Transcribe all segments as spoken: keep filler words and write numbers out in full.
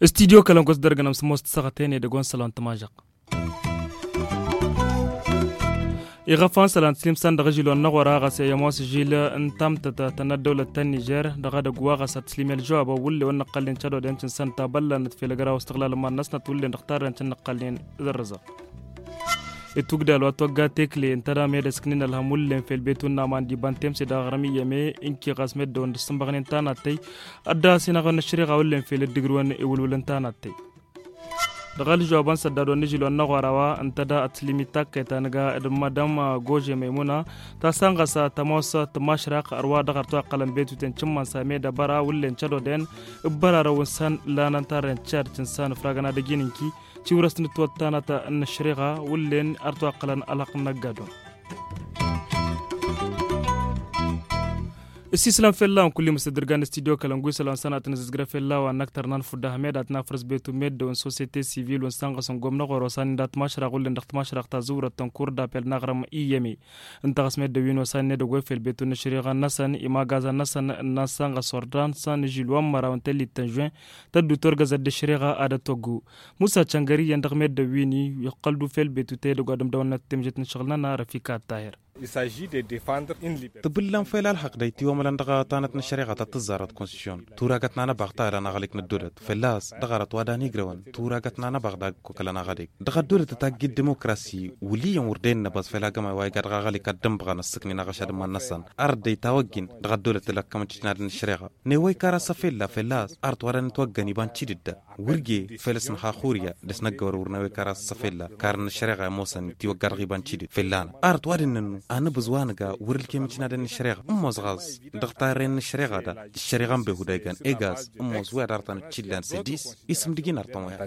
Studio kălănkos dăr-gănăm s-ămoos tăsăɣăten edăgg wa n-sălon tămažăɣ. Iɣăfan sălan tǝslim san dăɣ-ažil wa n-năɣora ɣas i-ămoos žil n-tamtăt ta n-ăddăwlăt ta n-nižer dăɣ-edăgg wa ɣas ad-tǝslim i-ălžăwab a wullen wa n-năqqălnen cădodăn cǝnsan tabăllanăt fel ăgraw ăstăɣlal n-iman-năsnăt wullen dăɣ-tarrăn cǝnnăqqălnen. Dăr-rǝzăɣ itugdal wa t-wăgga tekle ǝnta dam i-ad-ăsknen ălhăm wullen fel betu n-aman d-iba n-temse dăɣ-aɣrǝm iyyăme. Ǝnki ɣas meddăwăn d-ǝssǝnbăɣnen tanattăy ad-dd-asinăɣ n-ăššăriɣa wullen fel dd-ǝgrǝwăn iwǝlwǝl n-tanattăy. Dăɣ-ălžăwab n-săddad wa n-ažil wa n-năɣora wa ǝnta da ătlimit takkăyt a nǝga d-madam gože maymuna ta săn ɣas tămoos tǝmašrăɣ ărwa dăɣ-artoy ăqqălăn betuten cǝmmăn s-ameda băra wullen cădodăn ǝbbărarăw n-săn lanăn tarren cad cǝnsan ǝfragăn ad-ăjin ǝnki. Tiwrăst n-ǝtwăttanăt n-ăššăriɣa wullen artoy ăqqălăn ălhăqq n-ăggadun. Ǝssislan fell-a-wen kull-i măsăddărgan n-studio kălăngu isălan sănatăn ǝzǝzgră fell-a-wa n-ăktăr n-anfudda hămed ad-t-nafrǝs betu meddăw n-sosyete sivil wa n-sănɣăs n-gomnăɣor osan-in dat-mašrăɣ wullen dăɣ-t-mašrăɣ ta zǝwrăt tănkur d-apel n-aɣrǝm iyyăme. Ǝnta ɣas meddăw-in osan-in edăgg wa ifel betu n-ăššăriɣa-năsăn imagazăn-năsăn n-ad-sănɣăs ordan săn ižil wa n-măraw n-tellit ta n-žuwen tăddu torgăzăt d-ăššăriɣa ad-ătwăggu. Musa căngăr iyyăn dăɣ-meddăw-win-i iqqăl d-ufel betu ta edăgg wa d-ǝmdăwăn n-ăttemžet n-ašăɣǝl-nănăɣ răfikat tahir. Tǝbǝllan fel ălhăqq da-i tiwămălăn dăɣ-tanăt n-ăššăriɣa ta t-tǝzzarăt konstitušyon tura găt n-anăbaɣ ta ălănăɣălek n-ăddolăt fălla-s dăɣ-arăt wa dan igrăwăn tura găt n-anăbaɣ dagg-kok ălănăɣălek dăɣ-ăddolăt ătagg i-dd-dimokrasi. Wăl' iyyăn wăr dăyăn năbăẓ fel agămay wa iga dăɣ-aɣălek ad-dd-ǝnbăɣăn ăssǝknin aɣăšad n-iman-năsăn arăt da-i tawăggin dăɣ-ăddolăt ălăkkăm n-titinadăn n-ăššăriɣa. Newăy kar-asăfella fălla-s arăt wa dan itwăggăn iba n-tidǝdda wăr ge fel s-nǝxaxurya dăɣ-s năggăwăr wăr newăy kar-asăfella kar n-ăššăreɣa i-ămoosăn tiwăgga dăɣ-iba n-tidǝd fălla-năɣ arăt wa dăɣ-nănnu anǝbǝẓ wa nǝga wăr-ǝlkem itinadăn n-ăššăreɣa ǝmmos ɣas dăɣ-tarren n-ăššăreɣa da ăššăreɣa n-behud a igan egas ǝmmos wi ad-dăɣ tăn-ăččillan s-ăddis isǝm dăɣ-in arăt ămoya.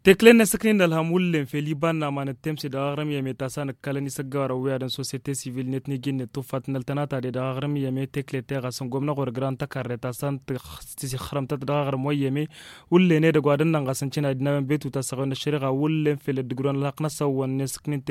Tekle-net s-ǝknin ălhăm wullen fel iba n-aman d-temse dăɣ-aɣrǝm i-ămeta s-anǝkkalăn isăggawărăn wi ad-dăn sosyete sivil-net n-iji-net tuffat n-ăltănata de dăɣ-aɣrǝm i-ăme tekle-te ɣas n-gomnăɣ wăr ǝgran tăkarre ta s-an tǝsixrămtăt dăɣ-aɣrǝm wa i-ăme wullen edăgg wa dănnăn ɣas n-cina d-inawăn betu ta s-ăɣwen n-ăššăriɣa wullen fel dd-ǝgrǝwăn ălhăqq-năsăn wăn-net s-ǝknin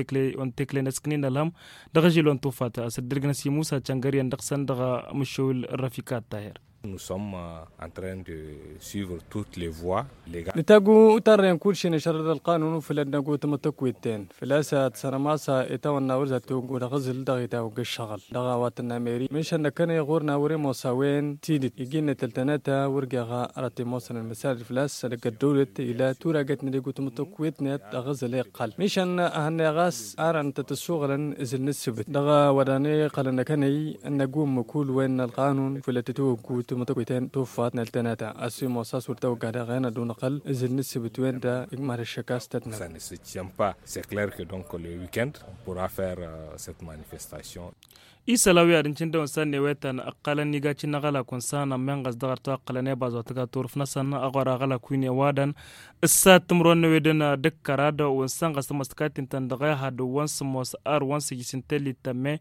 tekle-net s-ǝknin ălhăm dăɣ-ažil wa n-tuffat a-s dd-ǝrgǝnăs i-musa căngăryăn dăɣ-săn dăɣ-mǝššăwǝl răfikat tahir. Nous sommes en train de suivre toutes les voies légales. Nǝtagu tarrăyăn kull šin ăšrăd ălqanun făll-ad-năgu tamătăkwet-ten făl-a-s ad-sărămasa i-tawănna wăr zat-toggo dăɣ-aẓǝl dăɣ-itawăgg ăššăɣǝl dăɣ-a-wa tǝnna meri mišăn năkkăne ɣur-na wăr-imosa a-wen tidǝt iji-net ăltănăt a wăr geɣ aratăy ămoosăn ălmăsal făl-a-s ad-ăgg ăddăwlăt ila tura găt n-ad-igu tamătăkwet-net dăɣ-aẓǝl iqqăl mišăn a hănnăy ɣas arăn tăt-ăssuɣǝlăn ǝzǝl n-ǝssǝbǝt dăɣ-a-wa dan iqqălăn năkkăne ănnăgum kull wen n-ălqanun făll-ad-tătwăggu tamătăkwet-en tuffat n-ăltănăt a ăssimos a-s wăr tawăgga daɣ-en ad-unăɣăl ǝzǝl n-ǝssǝbǝt wen da igmar ăššăk a-s tătnăɣ. Ça ne se tient pas. C'est clair que donc le week-end on pourra faire cette manifestation. Isălan wi ad-ǝncǝn dăɣ-wăn s-ad-newetăn ǝqqălăn iga cǝnnăɣ ălakun s-anămmenɣăs dăɣ-arăt wa ǝqqălăn i-baẓ wa tǝga turǝf-năsăn ăɣora ălak wi n-ewadăn ǝssat timǝrwen n-ewedăn d-ǝkkărad wăn sănɣăs tămăstăkayt ǝntăn dăɣ-ehăd wăn sǝmmos ar wăn sǝjjǝs n-tellit tămme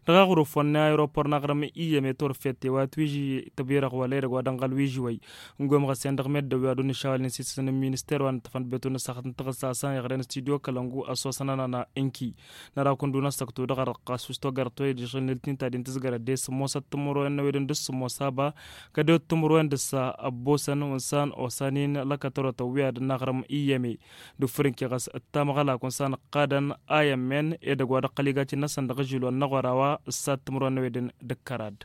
dăɣ-aɣrǝf wăn n-aeropor n-aɣrǝm iyyăm i-turǝfet i-wa t-wiži tăbirăɣ wăla edăgg wa dănɣăl wiži wăy. Ǝngoyăm ɣăsen dăɣ-meddǝn wi ad-dd-nǝšawălnen s-isǝsǝn n-minister wa n-ǝttăfăn d-betu n-ăssaxăt n-taɣǝssa a-s ănɣăren studio kălăngu ăsoosăn ănana ǝnki năra kundu n-ăssăktu dăɣ-arăqqas s-togărăt wa idăšɣǝl n-ǝltǝnta din tǝzgărăt de sǝmmosăt timǝrwen n-ewedăn d-sǝmmos aba kădewăt timǝrwen d-ǝssa ăbbosăn wăn s-an osan-in lăkătărotăn wi ad-dd-naɣrǝm iyyăm-e d-ufǝr ǝnke ɣas ǝttamăɣ ălak wăn s-an ǝqqadăn a i-ămmen edăgg wa d-ăqqăl igacin-năsăn dăɣ-ažil wa n-năɣora wa ǝssat timǝrwen n-ewedăn d-ǝkkărad.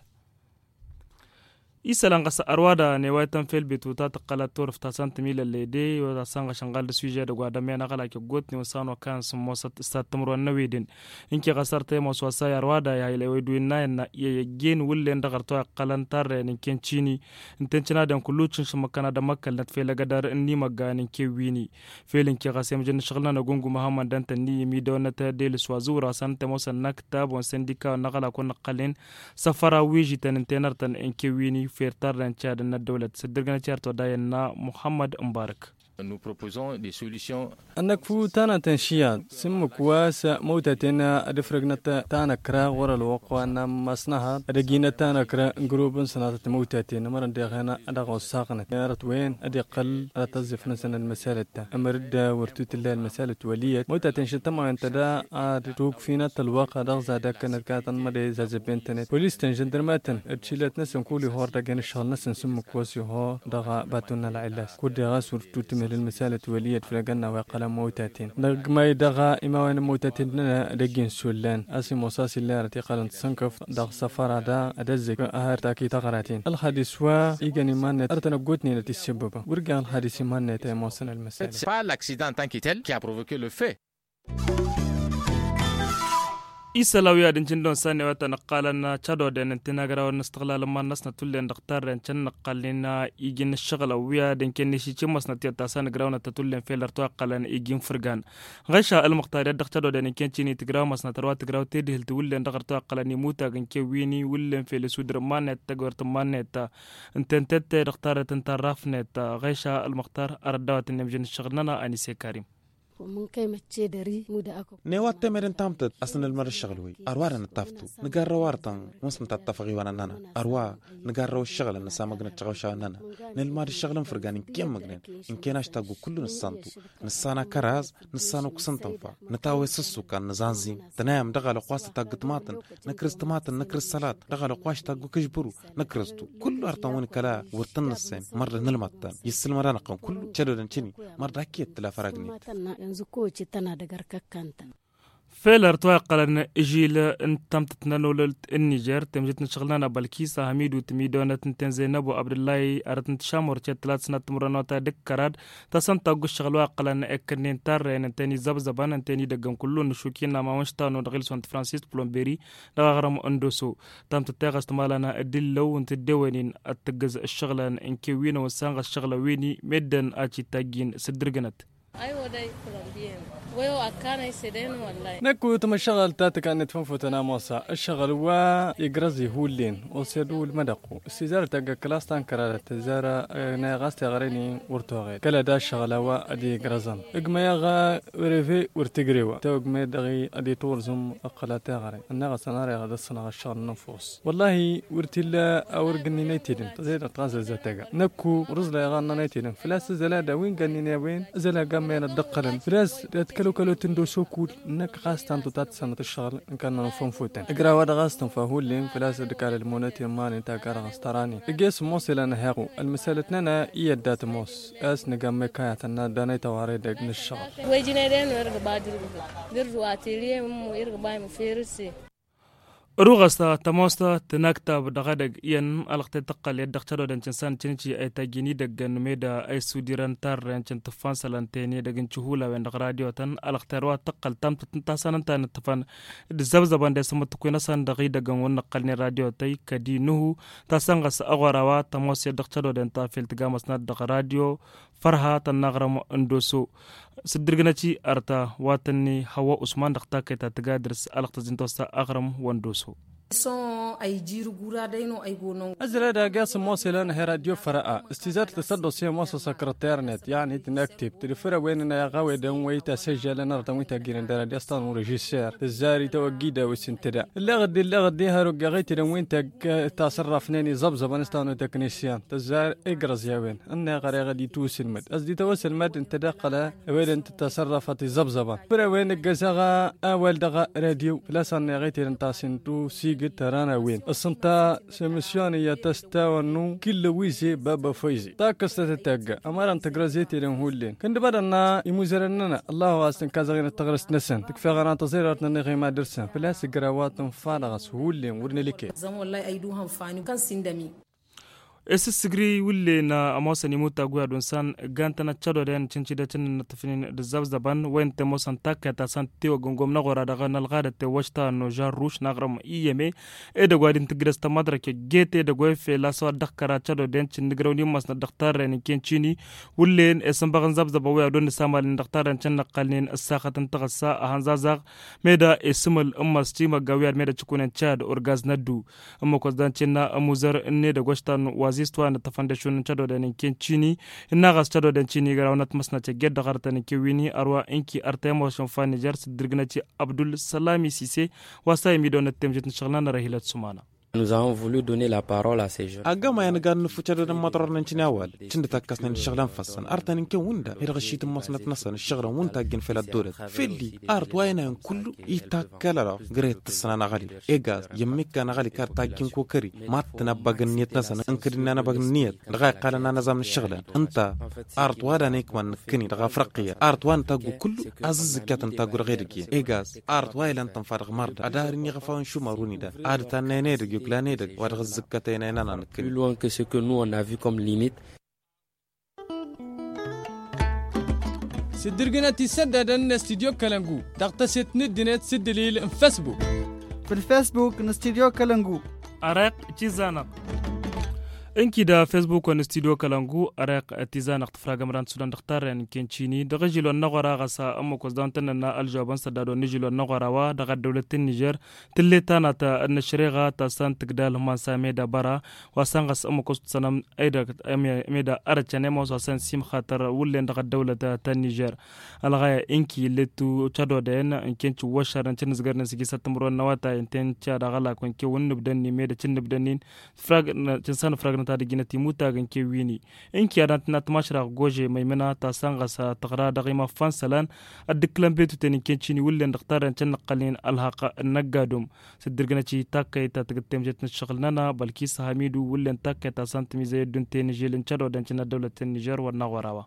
Isălan ɣas ărwada newaytăn fel betu ta tǝqqălăt turǝft ta s-an tǝmilăllăy de wa ta s-anɣăš ănɣal d-asuiže edăgg wa d-ămmen aɣălak i-ăggootnen wăn s-an wa kayăn sǝmmosăt ǝssat timǝrwen n-ewedăn. Ǝnke ɣas ărtăy ămoos wa s-a i-ărwada i-ayǝlăy wa idǝw innayăn na i-ăjjeen wǝllen dăɣ-ărtăy wa iqqălăn tarrăyăn ǝnken cini ǝnta i-ǝncǝnadăn kullu cǝnš ǝmmǝkkăn ad-ămmăkkălnăt fel ăgădar n-imăggan ǝnken wi-ni. Fel ǝnke ɣas i-amǝjăn n-ašăɣǝl-nănăɣ ungu măhammăndăn-tăn n-i imidăwăn n-ătădel s-wa zǝwra s-an tămoosăn n-aktab wa n-săndika wa n-aɣălak wa n-năqqălnen săfăra wi žităn ǝnta i-nărtăn ǝnke wi-ni fer tarrăyăn cihadăn n-ăddăwlăt s-dd-ǝrgǝnăt i-arăt wa dayăn n-muhammăd mubarăk. Nous proposons des solutions. Ănnăkfu tanăt n-išiyaḍ s-ǝmmǝk wa s-măwtaten ad-ǝfrǝgnăt tanăkra ɣur-ălwăqq wa n-ammas n-ehăḍ ad-ăjinăt tanăkra n-grub n-sănatăt măwtaten ămărăn deɣen ad-dăɣ-osaɣnăt arăt-wen ad-iqqăl ad-tăẓẓifnăsăn ălmăsalăt ta ămăr-dd wăr tutǝlla ălmăsalăt wăl' iyyăt măwtaten šăt tămawent ta da ad-tukfinăt ălwăqq ad-dăɣ-zadăkkănăt katăn măde zazăbben-tănet polis-tăn žăndărmatăn d-šilăt-năsăn kul ihor dăgg-en ǝššăɣǝl-năsăn s-ǝmmǝk wa s-iho dăɣ-baton n-ălɣillas kud-deɣ a-s wăr tutǝmel ălmăsalăt wăl' iyyăt făll-egănna wa iqqălăn măwtaten dăgg-may dăɣ-imawen n-măwtaten d-nănăɣ dăgg-insullan a-s imosa s-illa arăt iqqălăn d-sănkăf dăɣ-săfăra da ad-ăzzek ahăr takit aɣraten ălxadis wa igăn iman-net arătăn ăggootnen ad-t-issǝbbăbăn wăr ija ălxadis iman-net a imosăn ălmăsal. L'accident en tant que tel qui a provoqué le fait. Isălan wi ad-ǝncǝndon s-a n-ewătăn ǝqqalăn cădoden ǝnta inagraw n-istăɣlal n-iman-năsnăt hullen dăɣ-tarren cănnăqqalnen iji n-ǝššăɣǝlăn wi ad-ǝnken n-išicǝmmăsnăt i-ad-tasăn ǝgrawnăt-tăt hullen fel ărtăw iqqălăn iji n-fǝrgan ɣeš a ălmăqtar i-ad-dăɣ cădoden ǝnken cini tǝgrawmăsnăt ărwa tǝgraw tedihǝlt hullen dăɣ-ărtăw iqqălăn imutag ǝnken wi-ni hullen fel isudǝr n-iman-net tăgwert n-iman-net ǝnta ǝnta-e-dăɣ tarret ǝnta ărraf-net ɣeš a ălmăqtar ar ăddawătăn i-amžăn ǝššăɣǝl-nănăɣ anisekari. N-e-wa t-temed n-tamtăt a-s nǝlmăd ǝššăɣǝl-wi ărwa dăɣ-nǝttaftu nǝgarrăw artăn wa s-nǝtattăfăɣ iwanăn-nănăɣ ărwa nǝgarrăw ǝššăɣǝlăn nǝsamăgnăt tiɣawšawen-nănăɣ nǝlmad ǝššăɣǝl n-fǝrgan ǝnken măgnen ǝnken aštaggu kullu nǝssantu nǝssan akăraz nǝssan ukǝs n-tǝnfa nǝtawes ǝssukan nǝẓanẓim tănayăm dăɣ-alăqq wa s-tătaggǝt maḍăn nǝkrǝz tǝmaḍăn nǝkrǝz sălat dăɣ-alăqq wa s-taggǝk ǝžbǝru nǝkrǝztu kullu artăn wi n-kăla wăr tăn-nǝssen măr-dăɣ nǝlmăḍ-tăn i-ǝssǝlmăd-anăɣ-tăn kullu cădodăn cini măr-dăɣ ăkk i-ăttǝla făragnen. Fel ărtwa iqqălăn ižil n-tamtăt n-anolălt n-nižer temžit n-ašăɣǝl-nănăɣ bălkisa hamidu tǝmidonăt ǝnta n-zăynăbo abdǝllahi arăt n-tǝšamor cetlat sănat timǝrănota d-ǝkkărad tasăn taggu ǝššăɣǝl wa iqqălăn ekkănnen tarrăyăn ǝnta n-izăbzăbăn ǝnta n-idăggăn kullu n-ašuki n-amawăn štanu dăɣ-ilson d-francis d-plumberi dăɣ-aɣrǝm n-doso. Tamtăt teɣăst malăn d-illăw n-tǝddewănin ad-tǝggǝz ǝššăɣǝlăn n-kewwinăwăn s-anɣăs ǝššăɣǝlăn wi-ni meddǝn a cittajjin s-ǝddǝrgǝnăt. Năkk utăm ǝššăɣǝl ta tǝkannet fănfutăn a mosa ǝššăɣǝl wa igrăẓ-i hullen osed ulmădăqqu s-tizarăt tagg ăkkălas ta n-kăradăt tǝzzar. Năɣ a-s teɣăre-ni wăr toɣed kăl-ad-aššăɣǝl a-wa ad-igrăẓăn ǝgmăyăɣ. Reve wăr tǝgrew tawăgme dăɣ-i ad-itwărzǝm ăqqăl ad-teɣăre ănneɣ a-s ănarăyăɣ ad-ăssănăɣ ǝššăɣǝl n-ănfus. Wăllahi wăr t-illa a wăr gǝnnin aytedăn tăẓedăɣ tɣazăzzăt tega năkku wăr-ǝẓlayăɣ a ǝnnăn aytedăn făl-a-s ǝzăl ad-a-wi n-gănnin i-a-wen ǝzăl a gammăyăn ad-dd-ǝqqălăn făl-a-s d-ad-kălokălotăn d-osokul ǝnnăk ɣas tantăt ad-tǝssanăt ǝššăɣǝl n-kănnăn fănfutăn ǝgraw-wa-dăɣ a-s tǝnfa hullen făl-a-s dd-ǝkal ălmunăt i-ămmanen ta gar-ɣas tărani ǝgg'-e s ămmoos ilan ăheɣu ălmǝsălăt-nănăɣ i-ădda tămoos a-s nǝga ămmekayatăn n-ad-ăddan i-tăware edăgg n-ǝššăɣǝl. Ǝruɣăs tămoos tănaktab dăɣ-edăgg iyyăn ălxăt i-tăqqăl i-ad-dăɣ cădodăn cǝnsan cǝnci a itajjin idăggăn meda a isudirăn tarrăyăn cǝntǝffan sălănten edăgg n-cihulawen dăɣ-radiyotăn ălxăt i-ad-wa tăqqăl tamtăt n-tasăn ǝnta a nǝttǝfăn d-zăbzăbăn d-esǝmmǝttǝkwen-năsăn dăɣ-idăggăn wăr nǝqqălnen radiyotăy kădi nuhu tasăn ɣas ăɣora wa tămoos i-ad-dăɣ cădodăn ta fel tǝgamăsnat dăɣ-radiyo fărha tănn-aɣrǝm n-doso. S-dd-irgǝnăt-i arta wa tănni hăwwa usman dăɣ-takăyt ta tǝga dăr-s ălxăt ăzzin tosa aɣrǝm wa n-doso. Ăzzăla dagg-e a-s ămoos ilăn ăhăy radyo fărăa s-tizar tǝsăddosi ămoos asăkrăter-net yăɣni tǝnăktib tǝdǝfǝr a-wen n-ayaɣ a-wedăn wa itasăžžalăn arătăn wa itagginăn dăr-ad-i a-s tănnu režiser tǝzzar itawăggi d-a-wa s-intăda ǝlleɣ-dd ǝlleɣ-dd i-hăruggeɣ itedăn wi n-tagg tasărrafnen iẓăbzăbăn s-tanu teknisyan tǝzzar igrăẓ i-a-wen ǝnneɣ ăreɣ ad-itwǝsǝlmăd ăzdităwăsălmăd ǝnta d-iqqălăn ăwedăn tǝtasărrăfăt iẓăbzăbăn făr-a-wen ǝggăzăɣ awal dăɣ-radyo făl-a-s ănneɣ itedăn tasǝntu sigǝt tăran a-wen ǝssǝnta s-emǝsyon iyyăt a-s tawănnu kǝllăwize baba foyze takkăstăt d-tagga ămărăn tǝgrăẓ i-tedăn hullen kăndǝbădăn imuzărăn-nănăɣ ăllahu a-s tǝnkazăɣ-in d-taɣrǝst-năsăn tǝkfeɣ ăran tăẓirărt n-ănniɣ i-madăr-săn făl-a-s ǝgrawăt n-fanăɣ-s hullen wăr nǝlǝke. Zăm wăllah ăydǝw hăn fani kan s-indămi. Isǝssǝgri wǝllen ămoosăn imutag wi ad-unsan ǝggantăn ăccădodăyăn cǝncǝdăt n-inǝttǝfnin d-ǝzzăbzăbăn wen tămoosăn takkăyăt ta săn tewăggăn gomnăɣ wăr-ad-dăɣ n-ălɣadăt tewăš ta ănnuža ărruš n-aɣrǝm iyyăme edăgg wa d-intǝggǝdăs tămăḍrăke gete edăgg wa ifel a-s wa dd-ăxkăra ăccădodăyăn cǝnnǝgrăw n-immăsnăt dăɣ-tarrăyăn n-ken cini wǝllen isǝnbăɣ n-zăbzăbăn wi ad-onnǝs amalnen dăɣ-tarrăyăn cǝnnăqqalnen ǝssaxăt n-taɣǝssa ăhănzazăɣ meda isǝmǝl n-imăs timăgga wi ad-meda cǝkunen cad urgaz n-ăddu ǝmmǝk wa s-dan cǝnna ămuzăr n-edăgg wa s-tan wa Zistwar n-tăfăndăšun n-cădoden n-ken cini. Ǝnna ɣas cădoden cini găraw n-ătmăsnăt egged dăɣ-arătăn n-kewini ărwa ǝnki ărtăyăm wa s-unfa n-nižer s-dd-irgnăt i-abdul sălami sise. Wa s-a imidăwăn ăttemžet n-ašăɣǝl n-anăra hilăt sumana. Agg ămayăn ǝggan n-ǝffu cădoden măḍrăr n-ăncini awal cǝndǝt akkăsnen d-ašăɣǝl ănfăssăn artăn n-ken wǝnda i-dăɣ ăššitǝmmăsnăt-năsăn ǝššăɣǝlăn wǝnta ăjjǝn fel ăddolăt făll-i. Arăt wa ăynayăn kullu itakkalălăɣ gre-t tǝssǝna n-aɣăli egaz i-ămmikka n-aɣăli kar tajjǝn kokări. Mattăn abba gǝnniyăt-năsăn ǝnkăd ǝnnan abba gǝnniyăt dăɣ-a iqqalăn anăzam n-ǝššăɣǝlăn. Ǝnta arăt wa dan ikman nǝkkǝni dăɣ-afrăqqiyăt arăt wa nǝtaggu kullu. Azǝzzǝkkatăn taggu dăɣ-edăgg-en egaz arăt wa ilăn tǝnfa dăɣ-mărda ad-arǝnni ɣăfawăn šumărun idan ad-tannăyăn edăgg i-oklan edăgg wa dăɣ-ǝzzǝkkătăyăn ăynănan nǝkkǝni. Plus loin que ce que nous on a vu comme limite. S-dd-irgǝnăt isăddadăn n-studyo kălăngu dăɣ-tăset n-ǝddǝnet s-ǝddǝlil n-fesbuk. Făll-fesbuk n-studyo kălăngu. Ăreq tizanăɣt ǝnki d-fesbuk wa n-studyo kălăngu ăreq tizanăɣt tǝfragăm ran sudăn dăɣ-tarren n-kencini dăɣ-ažil wa n-năɣora ɣas ămmăkos daw n-tăn-nănna ălžobăn săddadon n-ažil wa n-năɣora wa dăɣ-ăddăwlăt n-nižer. Tǝllet tanat n-ăššăreɣa ta s-an tǝgdal hǝman s-ameda băra wa s-an ɣas ămmăkos tǝsănăm edăgg ameda arăt cănem wa s-an simxatăr wǝllen dăɣ-ăddăwlăt ta n-nižer. Ălɣaya ǝnki illet cădoden n-ken cǝwwăššărnen cǝnnǝzgărnen s-ijisăt timǝrwen n-awătay ǝnta i-n-ca dăɣ-ălak wa n-kewăn n-ǝbdănni meda cǝnnǝbdănnin. Cǝnsan ǝfrăgnăt ad-ăjjinăt imutag n-kewwini. Ǝnki ad-ăntănna tǝmašrăɣ gože măymǝna ta s-an ɣas tăɣra dăɣ-imaffan isălan. Ăddǝkkǝlăn betuten n-ken cini wǝllen dăɣ-tarren cǝnnăqqălnen ălhăqq n-ăggadum. S-dd-irgǝnăt i-takkăyt ta tǝgǝttem žet n-ǝššăɣǝl-nănăɣ bălkis hamidu wǝllen takkăyt ta s-an tǝmizăy ădduntey n-ežel n-cădoden cǝnnăt dăwlăt n-nižer wăr n-aɣora wa.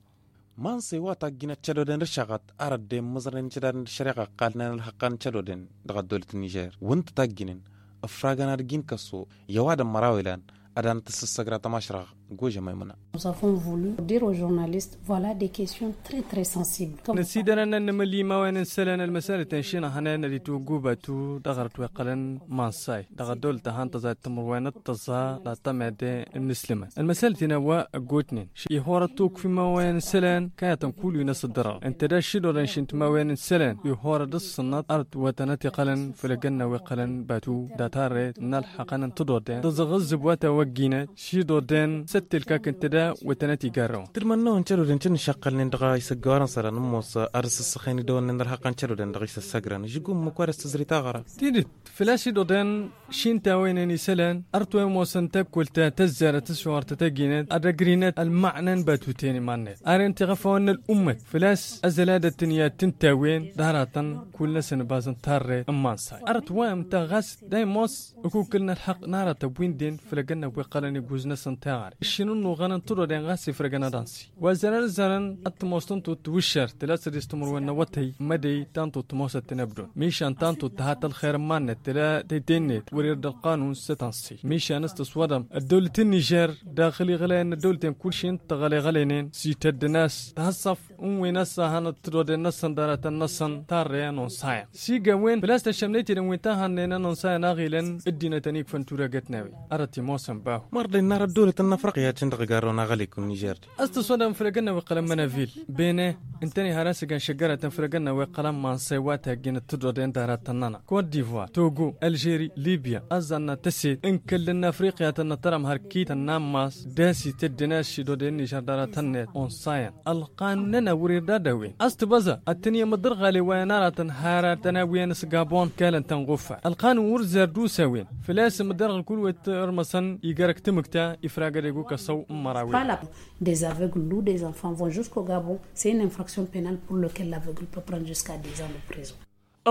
Mănsăy wa tajjǝnăt cădoden d-ǝššăɣăt ar ăddem mǝẓrăyăn cădoden d-ăššăreɣa ăqqalnen ălhăqqan n-cădoden dăɣ-ăddolăt n-nižer wǝnta tajjǝnen ǝfragăn ad-ǝjǝn kăso i-ăwadǝm măraw ilan ad-anăt tǝssăssăgra tămašrăɣ. Gože măymăna. Nous avons voulu dire au journaliste voilà des questions très très sensibles. Năsidărăn ad-nǝmǝl i-imawen n-isălan ălmăsălăten šinăhnen ad-itwăggubatu dăɣ-arăt wa iqqălăn mănsay dăɣ-ăddăwlăt ta han tăẓa d-timǝrwen d-tăẓa d-ad-tămede n-inǝslǝmăn ălmăsălăten a-wa ăggootnen. Ih'-orăt tukf imawen n-isălan kayătăn kull wi n-asǝddărăɣ ǝnta d-ašidorăn šintǝmawen n-isălan ih'-orăt d-ǝssǝnnăt arăt wa tănăt-iqqălăn făll-egănna wa iqqălăn batu d-atarret n-ălḥăqăn n-tǝḍodden tăẓăɣ ǝzzǝb wa tawăgginăt. Šidodden s-ăttelkak ǝnta da wa tănăt-igarrăwăn. Tǝdmănnăwăn cădoden cǝnnǝšăqqălnen dăɣ-isăggăwarăn sărăn ǝmmos ad-ăssăssăxen idăwănnen d-ălxăqqăn cădoden dăɣ-isăssăgrăn žigum măkk wa d-ăstăzri taɣăra. Tidǝt făl-a-s idodden šintawăynen isălan ărtwăy ămoosăn tăkkolt ta tăzzarăt s-šuɣăr tătăgginăt ad-ăgrinăt ălmăɣna n-batuten iman-net ar ǝnta iɣăfawăn n-ăl'ummăt făl-a-s ăzăl ad-ăttǝnǝya t-ǝntawen d-aratăn kull-năsăn ăbazăn tarret n-iman-say arăt wa ǝnta ɣas da imoos ǝkukǝl n-ălxăqq n-aratăn wi n-den făll-egănna wi ǝqqălăn iguz-năsăn taɣăre ǝššǝnǝnnuɣăn n-tǝḍoden ɣas ifrăgăn ad-ansi wa zărăn zărăn ad-tămoos tăn-tot tǝwǝššer tǝla s-ad-istǝmǝrwen n-awătăy mădăy ta n-tot tămoosăt tinăbdon mišan ta n-tot tăhat ălxer n-iman-net tǝla tăyte-net wăr-irda ălqanun s-tănsi mišan s-tăswăḍăm ăddăwlăt n-nižer daxǝl iɣălăyăn n-ăddăwlăten kull šin tăɣăleɣălenen s-ităddǝn a-s tăhăṣṣăf n-wen a-s a hanăt tǝḍoden-năsăn d-aratăn-năsăn tarrăyăn onsayan s-iga wen făl-a-s tăššămnet-i dăn wen ta hannăyăn n-onsayan a ɣilăn ăddinătăn ikfăn turăgăt n-a-wen. Arăt imoosăn bahu. Mărdăy n-arăt dăwlătăn n-afrăqya cǝndăɣ garrăwăn aɣălek n-nižer-di. A-s tăsodăm făll-egănna wa iqqălăn mănavil bene ǝntăne har a-s igan šăggărătăn făll-egănna wa iqqălăn mansăy wa taggin d-tǝḍodăyăn d-aratăn-nănăɣ kot-divoir togo ălžeri libya ăzzanna tăset n-kăll-ănnafriqya tănnătărăm har kităn n-ammas d-a-s ităddǝn a-s šidodăyăn nižer d-aratăn-net onsayăn ălqanun-nănăɣ wăr-irda ad-a-wen a-s tǝbăẓa ad-tăn-i-măḍărɣale wa i-ănaratăn har ad-tăn-awǝyăn s-gabon kalăn tănɣufa ălqanun wăr-zerdusa a-wen făl-a-s măḍărɣal kull wa t-ărmăsăn igarăk tǝmǝkta ifragăd egukăsăw n-mărawen. Des aveugles ou des enfants vont jusqu'au gabon, c'est une infraction penale pour lequel l'aveugle peut prendre jusqu'à dix ans de prison.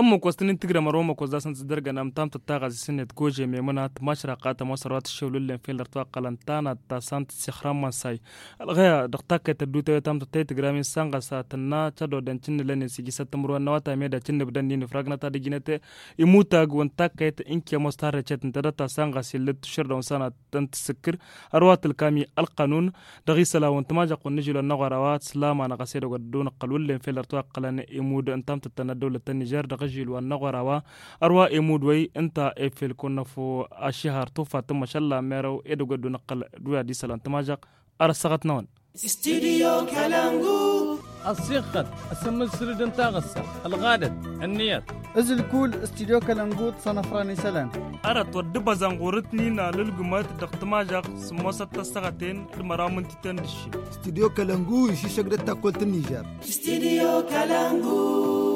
Ămmăkos tăn-in-tǝgrăm ărwa ămmăkos d-asăn tǝzdărgăn amtam tăttaɣăs isǝnnet gože memăna tǝmašraqqa tămoos ărwa tǝššewlǝllen fel ărtwa ăqqălăn tanat ta s-an tǝssixrăm mănsay. Ălɣăya dăɣ-takkăyt ăddutăwet amtăttăy tǝgramin s-anɣăsa tǝnna cădoden cǝnnǝlănen s-ijisăt timǝrwen n-awătay meda cǝnnǝbdănnin ifrăgnăt ad-ăjinăt imutag wăn takkăyt ǝnke ămoos tarrecet ǝnta dăr-ta s-anɣas illăt tǝššăr d-awănsanăt tăn-tǝssǝkkǝr ărwa tǝlkam i-ălqănun. Dăɣ-isălan wa n-tămažăɣt wa n-ažil wa n-aɣora wa tǝslam-anăɣ a-s edăgg wa dd-unăqqăl wǝllen fel ărtwa ăqqălăn imud n-tamtăttăn ăddăwlăt n-nižer dăɣ-ažil wa n-aɣora wa ărwa imud wa-i ǝnta efel kăwăn-năfo ašihar tufa tǝmmăšălla merăw edăgg wa dd-unăqqăl d-wi ad-isălan tămažăɣt. Ar ăssăɣăt-năwăn. Studyo kălăngu. Ăssiɣxăt ăsǝmmǝl sǝrǝd n-taɣǝssa ălɣadăt ǝnniyăt. Ǝzǝlkul studyo kălăngu d-sănăfran isălan. Arăt wăr dd-băzăn ɣur-ǝtnin alǝlgǝmăt dăɣ-tămažăɣt sǝmmosăt tăssăɣăten d-măraw mǝntităn d-ǝššin. Studyo kălăngu išǝššăk d-ăttakkol tǝnnižer. Studyo kălăngu.